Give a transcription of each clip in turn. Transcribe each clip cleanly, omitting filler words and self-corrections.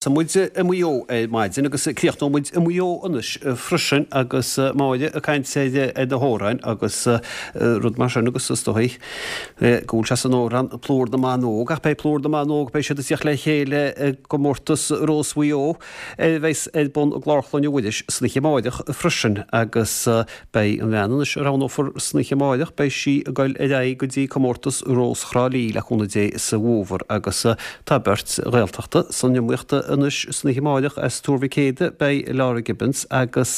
Thosaigh muid i Maigh Eo ar maidin agus críochnóidh muid i Maigh Eo anois freisin agus Máire ag caint ar na hamhráin agus rud mar sin agus is dóigh go bhfuil sé san amhrán Plúr na mBan Óg ach beidh Plúr na mBan Óg, beidh siad ag tíocht le chéile i gcomórtas Rós Mhaigh Eo a bheas ar bun i gClár Chlainne Mhuiris san oíche amáireach freisin agus Beidh an bhean anois a roghnófar san oíche amáireach, beidh sí ag goil ar aghaidh go dtí comórtas Rós Thrá Lí le cúnamh Dé sa bhfómhar agus tá beirt Ghaeltachta san iomaíocht anois san oíche amáireach as Tuar Mhic Éadaigh, beidh Laura Gibbons agus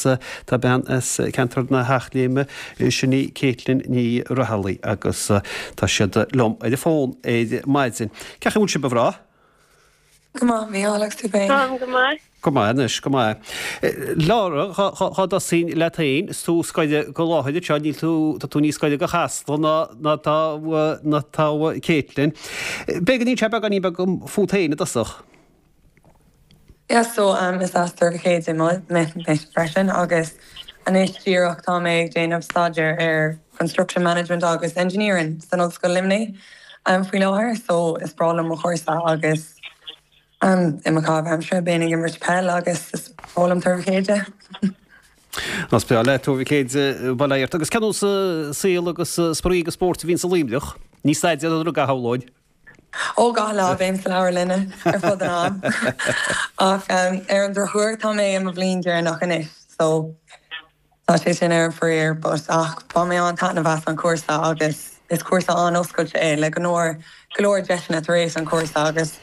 tá bean as ceantar na hEachléime, sin í Caitlin Ní Raghallaigh agus tá siad liom ar an bhfón ar maidin. Cén chaoi a bhfuil sibh a mhná? Go maith, Mícheál, agus tú féin? Táim go maith. Go maith anois, go maith. Laura, dhá dtosóinn leat féin, is tú scoile go láthair anseo, níl tú, tá tú níos gaire go Chasla ná ná tá ná tá Caitlin. B'fhéidir go n-inseofá beagáinín beag dom fút féin i dtosach. Yeah, so um, is as Tuar Mhic Éadaigh mé freisin agus anois díreach tá mé ag déanamh staidéar ar Construction Management agus Engineering san Ollscoil Luimnigh. faoi láthair so is breá liom mo chúrsa agus i mo chaitheamh aimsire bím ag imirt peil agus is breá liom Tuar Mhic Éadaigh. Is breá leat Tuar Mhic Éadaigh, bail ó Dhia ort. Agus cén nós saol agus spraoi agus spóirt a bhíonn sa Luimneach? Ní staidéar an rud a shamhlóinn. Ó gach lá bím sa leabharlainne ar fud an am ach ar an drochuair tá mé i mo bhliain deireanach anois so Tá sé sin ar an faraor but ach bhain mé an-taitneamh as an chúrsa agus is cúrsa an-oscailte é le go leor go leor deiseanna tar éis an chúrsa agus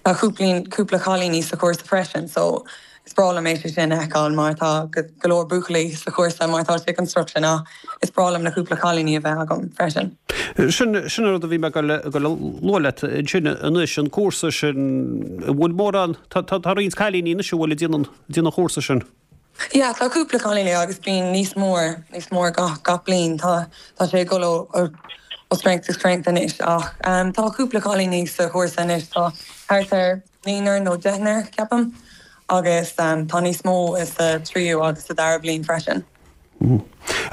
tá cúpla cúpla cailíní sa chúrsa freisin so is breá liom é sé sin a fheiceáil mar tá go leor buachaillí sa chúrsa mar tá sé construction ach is breá liom na cúpla cailíní a bheith agam freisin. Sin sin an rud a bhí mé ag dul a lua leat ansin anois an cúrsa sin an bhfuil mórán tá tá roinnt cailíní anois a bhfuil ag déanamh déanamh an chúrsa sin. Yeah, tá cúpla cailíní agus bíonn níos mór, níos mór gach, gach bliain. Tá, tá sé ag dul ó, ó, ó strength to strength anois ach ehm tá cúpla cailíní sa chúrsa anois, tá thart ar naonúr nó deichniúr ceapaim agus ehm tá níos mó sa tríú agus sa dara bliain freisin.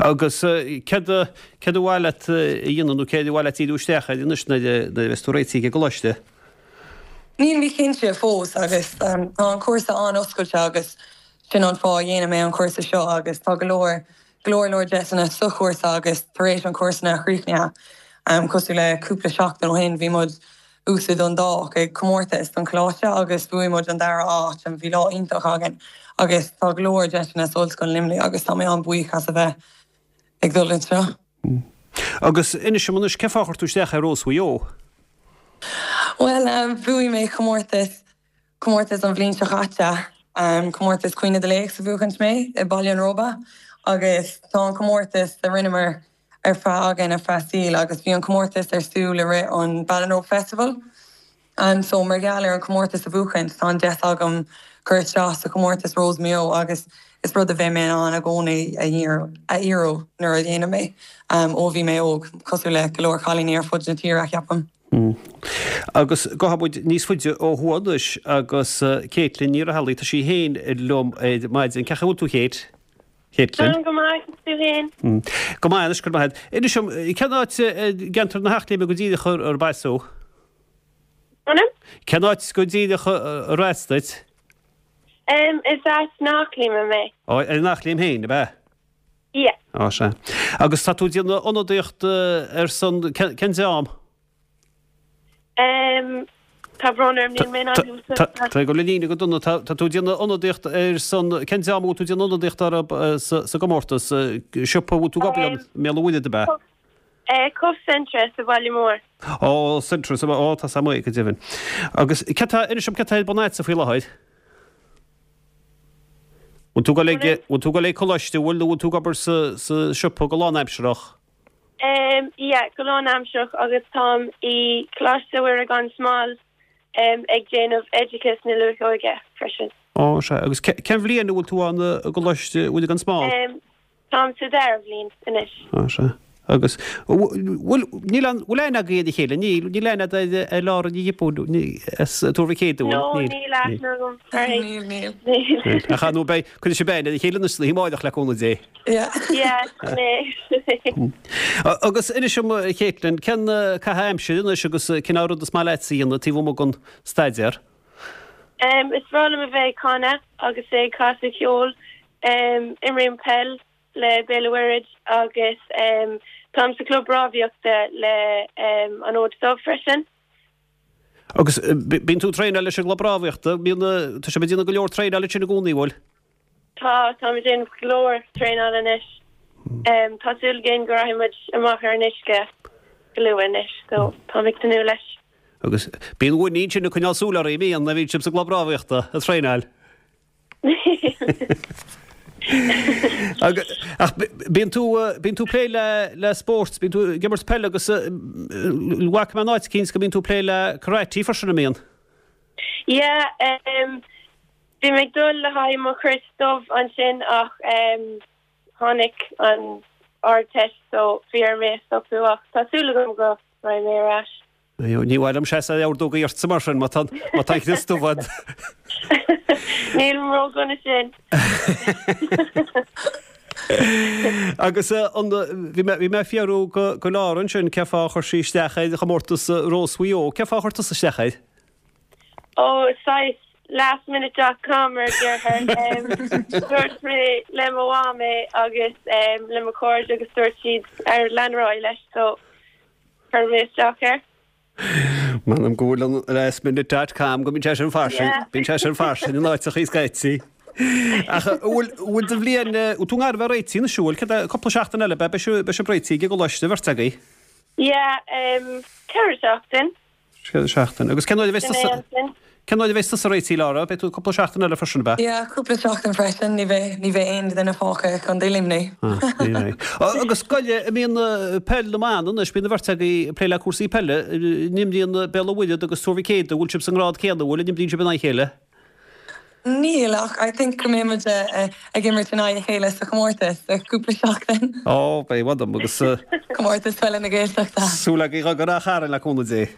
Agus céard a, céard a mhaith leat a dhéanamh nó céard a mhaith leat díriú isteach air anois nuair a, nuair a bheas tú réitithe ag an gcoláiste? Níl mé cinnte fós agus tá an cúrsa an-oscailte agus sin an fáth a dhéanann mé an cúrsa seo agus tá go leor, go leor leor deiseanna sa chúrsa agus tar éis an cúrsa a chríochnaithe, cosúil le cúpla seachtain ó shin bhí muid thuas i Dundalk ag comórtas don choláiste agus bhuaigh muid an dara áit and bhí lá iontach againn agus tá go leor deiseanna sa Ollscoil Luimnigh agus tá mé an-bhuíoch as a bheith ag dul anseo. Agus inis dom anois, cén fáth a chuir tú isteach ar Rós Mhaigh Eo? Bhuel, bhuaigh mé comórtas, comórtas an bhliain seo chaite, comórtas Caoineadh do Laoch a bhuachaint mé i Baile an Róba agus tá an comórtas a rinneamar ar feadh againn ar feadh saoil agus bhí an comórtas ar siúl i rith an Ballinrobe Festival. So mar gheall ar an chomórtas a bhuachaint, tá an deis agam cur isteach sa chomórtas Rós Mhaigh Eo agus is rud a bheidh mé in ann i gcónaí a iarraidh nuair a dhéanann mé ó bhí mé óg, cosúil le go leor cailíní ar fud na tíre, ceapaim. Agus gabhfaidh muid níos faide ó thuaidh anois agus Caitlin Ní Raghallaigh, tá sí féin liom ar maidin. Cén chaoi a bhfuil tú, Kate? Caitlin? Táim go maith, agus tú féin? Go maith anois, go raibh maith agat. Inis dom, cén áit i gceantar na hEachléime go díreach arb as thú? Ainm? Cén áit go díreach arb as duit? Is as an Eachléim mé. Ó, ar an Eachléim féin, ab ea? Yeah. Ó, sea. Agus tá tú ag déanamh ionadaíocht ar son, cén dream? Tá brón orm, níl mé in ann thú a. Tá ag dul i líne go dona. Tá tú ag déanamh ionadaíocht ar son, cén dream a bhfuil tú ag déanamh ionadaíocht orthu sa gcomórtas? Siopa a bhfuil tú ag obair ann i mBéal an Mhuirthead, ab ea? Cove Centra sa bhaile mór. Ó, Centra sa bhaile, ó, tá 's a'm é, go deimhin. Agus céard tá, inis dom céard tá ar bun a'dsa faoi láthair? Bhfuil tú ag dul ag, bhfuil tú ag dul ag coláiste, bhfuil, nó bhfuil tú ag obair sa, sa siopa go lánaimsearach? Em, yeah, go lánaimsearach agus táim i Coláiste Mhuire gan Smál, em, ag déanamh Oideachas na Luath-Óige freisin. Ó, sea. Agus cén bhliain a bhfuil tú ann i gColáiste Mhuire gan Smál? Em, Táim sa dara bhliain anois. Á, sea. Agus, bhfuil, níl an, bhfuil aithne agaibh ar a chéile? Níl, níl aithne agat ar, ar Laura Ní Ghiobúin, as Tuar Mhic Éadaigh, bhfuil? No, níl aithne agam uirthi. Níl, níl. Níl. Ach ar ndóigh beidh, cuirfidh sibh aithne ar a chéile anois san oíche amáireach le cúnamh Dé. Yeah. Yeah, sin é. Agus inis dom, a Caitlin, cén caitheamh aimsire anois agus cén rud is maith leatsa a dhéanamh taobh amuigh den staidéar? Is breá liom a bheith ag canadh agus ag casadh ceoil. Imrím peil le Béal an Mhuirthead agus táim sa chlub rámhaíochta le An Fhód Dubh freisin. Agus bíonn tú ag traenáil leis an gclub rámhaíochta, bíonn, tá sibh ag déanamh go leor traenáil ansin i gcónaí, bhfuil? Tá, táim ag déanamh go leor traenála anois. Tá súil againn go rachaidh muid amach ar an uisce go luath anois, so táim ag tnúth leis. Agus bíonn Winnie ansin ag coinneáil súil oraibh, an mbíonn, nuair a bhíonn sibh sa gclub rámhaíochta ag traenáil? Ach bíonn tú, bíonn tú ag plé le, le spórt, bíonn tú ag imirt peile agus bhfaca mé in áit eicínt go mbíonn tú ag plé le karate freisin, an mbíonn? Yeah, bhí mé ag dul le haghaidh mo chrios dubh ansin ach tháinig an Ardteist so bhí orm é a stopadh ach tá súil agam go raghaidh mé ar ais. Ní mhaith liom seasamh ag ordógaí ortsa mar sin, má tá an crios dubh agat. Nílim ró-dhona sin. Agus an, bhí mé, bhí mé ag fiafraí go Laura ansin cé fáth a chuir sí isteach ar chomórtas Rós Mhaigh Eo. Cé fáth a chuir tusa isteach air? Ó, saghas last minute dot com mar a déarfá. Dúirt mé le mo mham é agus le mo chairde agus dúirt siad ar lean ar aghaidh leis so chuir mé isteach air. M'anam go bhfuil an last minute dot com go mbíonn sé sin fairsing, bíonn sé sin fairsing in áiteachaí scaití. Ach an bhfuil, bhfuil do bhliain, bhfuil tú i ngar a bheith réitithe anois, an bhfuil? Céard é, cúpla seachtain eile, beidh, beidh sibh réitithe ag an gcoláiste, bheirt agaibh? Yeah, 4 seachtain. 4 seachtain. Agus cén uair a bheas tusa, cén uair a bheas tusa réitithe, Laura? Beidh tú cúpla seachtain eile freisin, ab ea? Yeah, cúpla seachtain freisin. Ní bheidh, ní bheidh aon duine fágtha i gContae Luimnigh. Ah, ní bheidh. Agus goile, an mbíonn peil na mban anois, bíonn an bheirt agaibh ag plé le cúrsaí peile, an imríonn Béal an Mhuirthead agus Tuar Mhic Éadaigh, an bhfuil sibh sa ngrád céanna, an bhfuil, an imríonn sibh in aghaidh a chéile? Níl, ach I think go mbeidh muid ag imirt in aghaidh a chéile sa chomórtas i gcúpla seachtain. Ó, beidh, mh'anam, agus. Comórtas Peile na Gaeltachta. Súil againn go rath orainn le cúnamh Dé.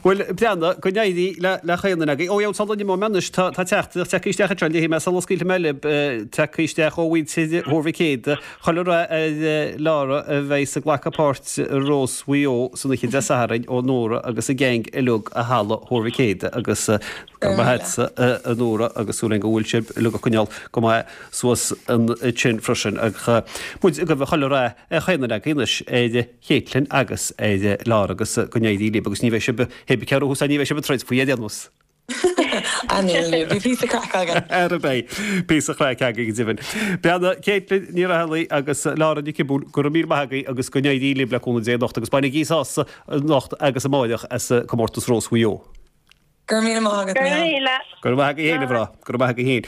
Bhuel, breathnaigh, go n-éirí le chaon duine agaibh. Ó, yeah, sula n-imeoidh mé anois, tá teachtaireacht tagtha isteach anseo, léifidh mé sula scaoilfidh mé libh, tagtha isteach ó mhuintir Thuar Mhic Éadaigh, Chuile rath ar Laura a bheidh ag glacadh páirt i Rós Mhaigh Eo san oíche Dé Sathairn ó Nóra agus a gang uilig i Halla Thuar Mhic Éadaigh agus go raibh maith agatsa a Nóra agus súil againn go bhfuil sibh uilig ag coinneáil go maith suas ansin freisin ach muid ag guí chuile rath ar chaon duine agaibh anois ar Caitlin agus ar Laura agus go n-éirí libh agus ní bheidh sibh pé ar bith ní bheidh sibh ag troid faoi ar aon nós. Ah níl, níl, bhí píosa craic againn. Ara beidh píosa craic againn go deimhin. Breathnaigh, Caitlin Ní Raghallaigh agus Laura Nic Giobúin, go raibh míle maith agaibh agus go n-éirí libh le cúnamh Dé anocht agus bainigí sásamh anocht agus amáireach as Comórtas Rós Mhaigh Eo. Go raibh míle maith agat, Go raibh míle. Go raibh maith agaibh féin, a mhná. Go raibh maith agaibh féin.